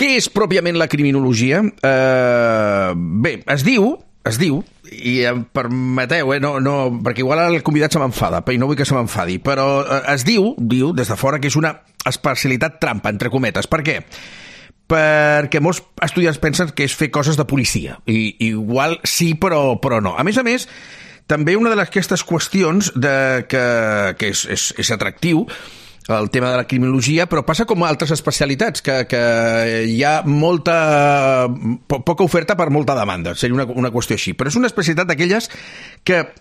Què és pròpiament la criminologia? Bé, es diu, i em permeteu, no, perquè igual el convidat se m'enfada, i no vull que se m'enfadi, però es diu des de fora, que és una especialitat trampa, entre cometes. Per què? Perquè molts estudiants pensen que és fer coses de policia, i igual sí, però no. A més, també una d'aquestes qüestions que és atractiu, el tema de la criminologia, però passa com a altres especialitats, que hi ha poca oferta per molta demanda, seria una qüestió així. Però és una especialitat d'aquelles que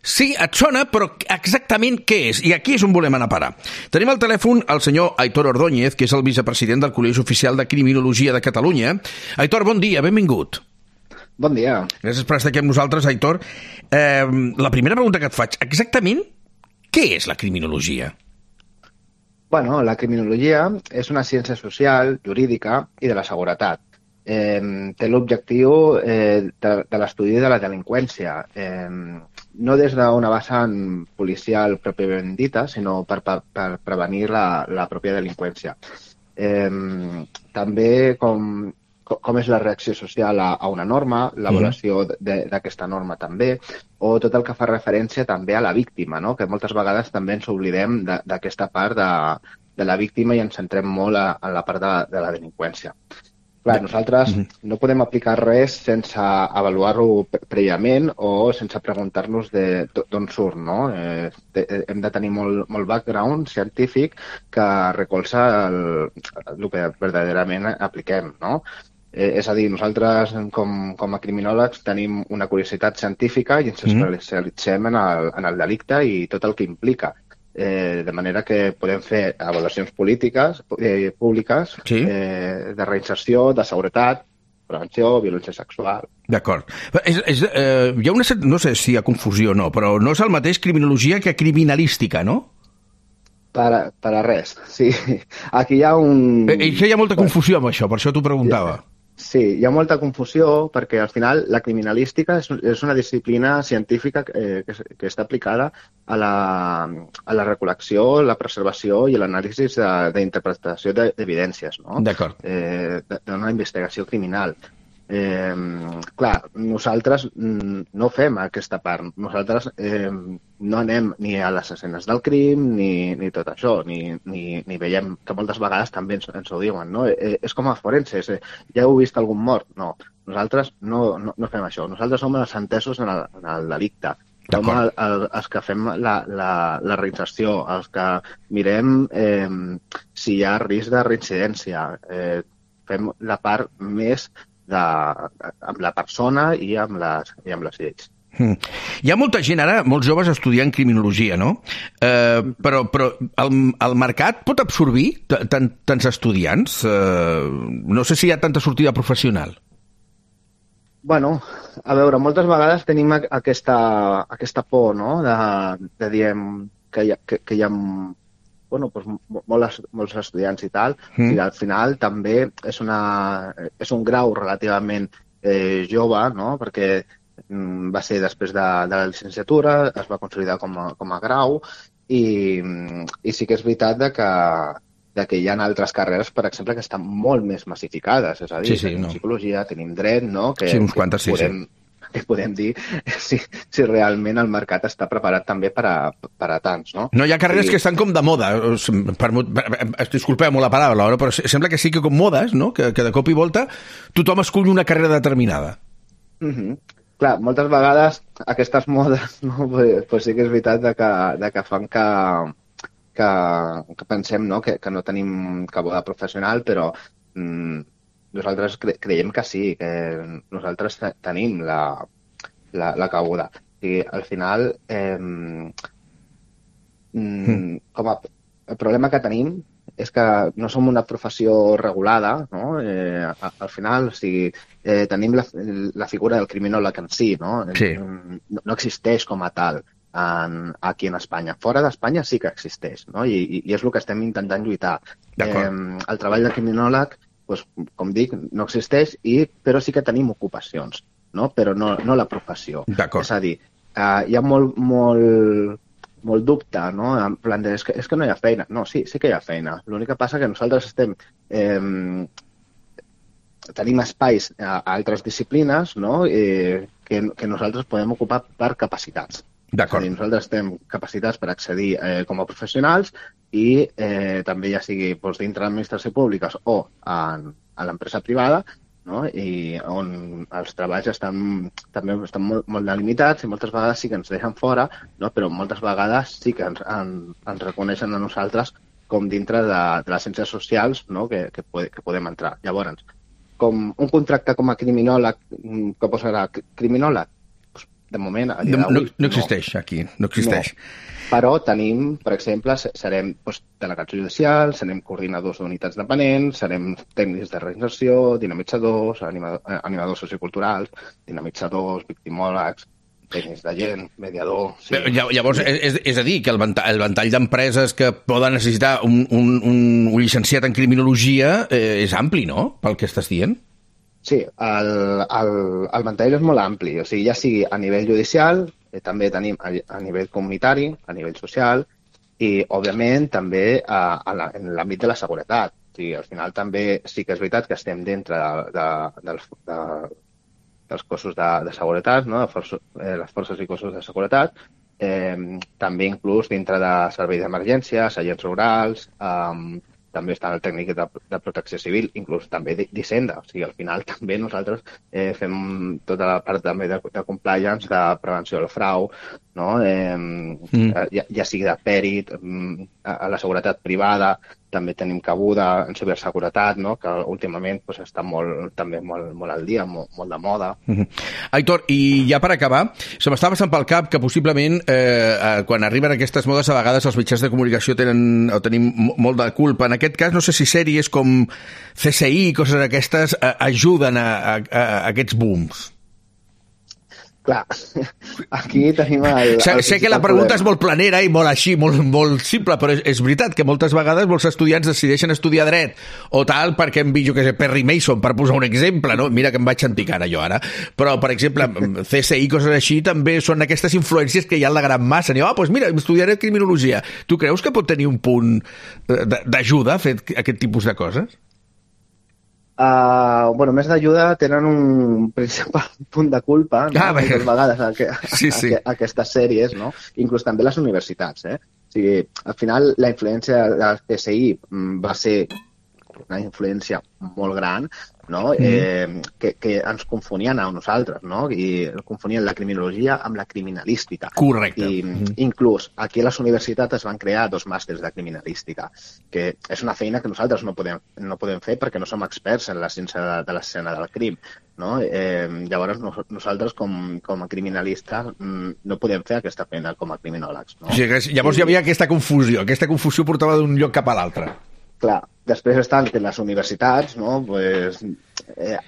sí, et sona, però exactament què és? I aquí és on volem anar a parar. Tenim al telèfon el senyor Aitor Ordóñez, que és el vicepresident del Col·legi Oficial de Criminologia de Catalunya. Aitor, bon dia, benvingut. Bon dia. Gràcies per estar aquí amb nosaltres, Aitor. La primera pregunta que et faig, exactament què és la criminologia? Bueno, la criminologia és una ciència social, jurídica i de la seguretat. Té l'objectiu de l'estudi de la delinqüència, no des d'una vessant policial pròpiament dita, sinó per prevenir la pròpia delinqüència. També com és la reacció social a una norma, l'avaluació d'aquesta norma també, o tot el que fa referència també a la víctima, no? Que moltes vegades també ens oblidem d'aquesta part de la víctima i ens centrem molt en la part de la delinqüència. Clar, nosaltres no podem aplicar res sense avaluar-ho prèviament o sense preguntar-nos d'on surt, no? Hem de tenir molt background científic que recolza el que verdaderament apliquem, no? És a dir, nosaltres com a criminòlegs tenim una curiositat científica i ens especialitzem en el delicte i tot el que implica. De manera que podem fer avaluacions públiques de reinserció, de seguretat, prevenció, violència sexual. D'acord. Hi ha no sé si hi ha confusió o no, però no és el mateix criminologia que criminalística, no? Per a res, sí. Aquí hi ha hi ha molta confusió amb això, per això t'ho preguntava. Sí, hi ha molta confusió perquè al final la criminalística és una disciplina científica que està aplicada a la recol·lecció, la preservació i l'anàlisi d'interpretació d'evidències, no? D'acord. D'una investigació criminal. Clar, nosaltres no fem aquesta part. Nosaltres no anem ni a les escenes del crim ni tot això, ni veiem, que moltes vegades també ens ho diuen, no? És com a forenses, ja heu vist algun mort? No, nosaltres no fem això. Nosaltres som els entesos en el delicte. Som els que fem la reinserció, els que mirem si hi ha risc de reincidència. Fem la part més amb la persona i amb les lleis. Hi ha molta gent ara, molts joves estudiant criminologia, no? Però el mercat pot absorbir tants estudiants? No sé si hi ha tanta sortida professional. Bueno, a veure, moltes vegades tenim aquesta por, no?, de dir que hi ha molts estudiants i tal, i al final també és un grau relativament jove, no?, perquè va ser després de la llicenciatura, es va consolidar com a grau, i sí que és veritat que hi ha altres carreres, per exemple, que estan molt més massificades, és a dir, tenim psicologia, tenim dret, no?, que podem dir si realment el mercat està preparat també per a tants, no? No, hi ha carreres que estan com de moda. Disculpeu-me la paraula, però sembla que sí que com modes, no?, que de cop i volta tothom escull una carrera determinada. Clar, moltes vegades aquestes modes, no?, pues sí que és veritat que fan que pensem, no?, que no tenim cabuda professional, però nosaltres creiem que sí, que nosaltres tenim la cabuda. I al final, el problema que tenim és que no som una professió regulada, no? Al final, o sigui, tenim la figura del criminòleg en si, no? Sí. No existeix com a tal aquí en Espanya. Fora d'Espanya sí que existeix, no? I és el que estem intentant lluitar. El treball de criminòleg, doncs, com dic, no existeix, però sí que tenim ocupacions, no? Però no la professió. És a dir, hi ha molt dubte, no?, en plan de, és que no hi ha feina. No, sí que hi ha feina. L'únic que passa que nosaltres estem tenim espais a altres disciplines, no? Que nosaltres podem ocupar per capacitats. D'acord. Nosaltres tenim capacitats per accedir com a professionals i també ja sigui dintre l'administració pública o a l'empresa privada, no? I on els treballs també estan molt delimitats i moltes vegades sí que ens deixen fora, no? Però moltes vegades sí que ens reconeixen a nosaltres com dintre de les ciències socials, no? que podem entrar. Llavors, com un contracte com a criminòleg, que posarà criminòleg? Pues, de moment, a dia d'avui, no existeix aquí, no existeix. No. Però tenim, per exemple, serem delegats judicials, serem coordinadors d'unitats dependents, serem tècnics de reinserció, dinamitzadors, animadors socioculturals, dinamitzadors, victimòlegs, tècnics de gent, mediador... Sí. Llavors, és a dir, que el ventall d'empreses que poden necessitar un llicenciat en criminologia és ampli, no?, pel que estàs dient? Sí, el ventall és molt ampli, o sigui, ja sigui a nivell judicial, també tenim a nivell comunitari, a nivell social, i, òbviament, també en l'àmbit de la seguretat. O sigui, al final també sí que és veritat que estem dintre dels cossos de seguretat, no? Les forces i cossos de seguretat, també inclús dintre de serveis d'emergències, agents rurals, també està el tècnic de protecció civil, inclús també d'Hisenda. O sigui, al final també nosaltres fem tota la part també de compliance, de prevenció del frau, no? Ja sigui de pèrit, a la seguretat privada, també tenim cabuda en ciberseguretat, no? Que últimament està també molt al dia, molt de moda. Aitor, i ja per acabar, se m'està passant pel cap que possiblement quan arriben aquestes modes a vegades els mitjans de comunicació tenim molt de culpa. En aquest cas, no sé si sèries com CSI i coses d'aquestes ajuden a aquests booms. Clar, aquí tenim sé que la pregunta és molt planera i molt així, molt simple, però és veritat que moltes vegades molts estudiants decideixen estudiar dret o tal perquè hem vist, Perry Mason, per posar un exemple, no? Mira que em vaig enticant jo ara, però, per exemple, CSI, coses així, també són aquestes influències que hi ha en la gran massa. Doncs mira, estudiaré criminologia. Tu creus que pot tenir un punt d'ajuda a fer aquest tipus de coses? Més d'ajuda tenen un principal punt de culpa, no? Moltes vegades aquestes sèries, no? Inclús també les universitats. O sigui, al final la influència del CSI va ser una influència molt gran, no? Que ens confonien a nosaltres, no? I confonien la criminologia amb la criminalística. Correcte. I inclús aquí a les universitats es van crear 2 màsters de criminalística, que és una feina que nosaltres no podem fer perquè no som experts en la ciència de l'escena del crim, no? Llavors nosaltres com a criminalistes no podem fer aquesta feina com a criminòlegs, no? O sigui, llavors hi havia aquesta confusió portava d'un lloc cap a l'altre. Clar, després estan les universitats, no?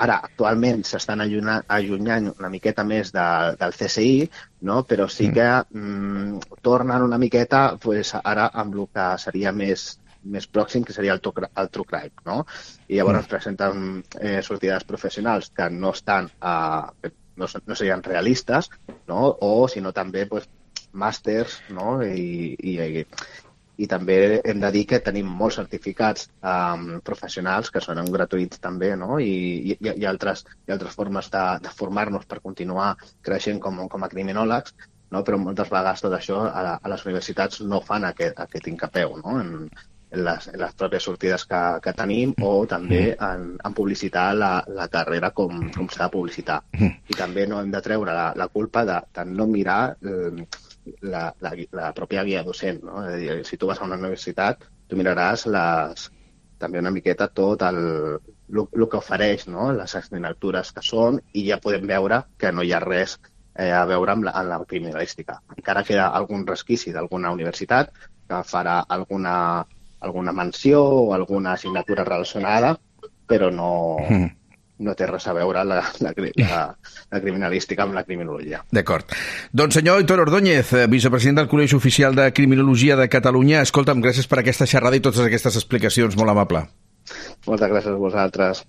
Ara actualment s'estan allunyant una miqueta més del CSI, no? Però sí que tornen una miqueta ara amb el que seria més pròxim, que seria el true crime, no? I llavors presenten sortides professionals que no estan, no serien realistes, no? O sinó també màsters, no? I també hem de dir que tenim molts certificats professionals que són gratuïts també, no? I altres formes de formar-nos per continuar creixent com a criminòlegs, no? Però moltes vegades tot això a les universitats no fan aquest hincapeu, no? En les pròpies sortides que tenim o també en publicitar la carrera com s'ha de publicitar. I també no hem de treure la culpa de no mirar la pròpia guia docent, no? És a dir, si tu vas a una universitat, tu miraràs també una miqueta tot el que ofereix, no? Les assignatures que són, i ja podem veure que no hi ha res a veure amb la criminalística. Encara queda algun resquici d'alguna universitat que farà alguna menció o alguna assignatura relacionada, però no té res a veure la criminalística amb la criminologia. D'acord. Doncs senyor Aitor Ordóñez, vicepresident del Col·legi Oficial de Criminologia de Catalunya, escolta'm, gràcies per aquesta xerrada i totes aquestes explicacions, molt amable. Moltes gràcies a vosaltres.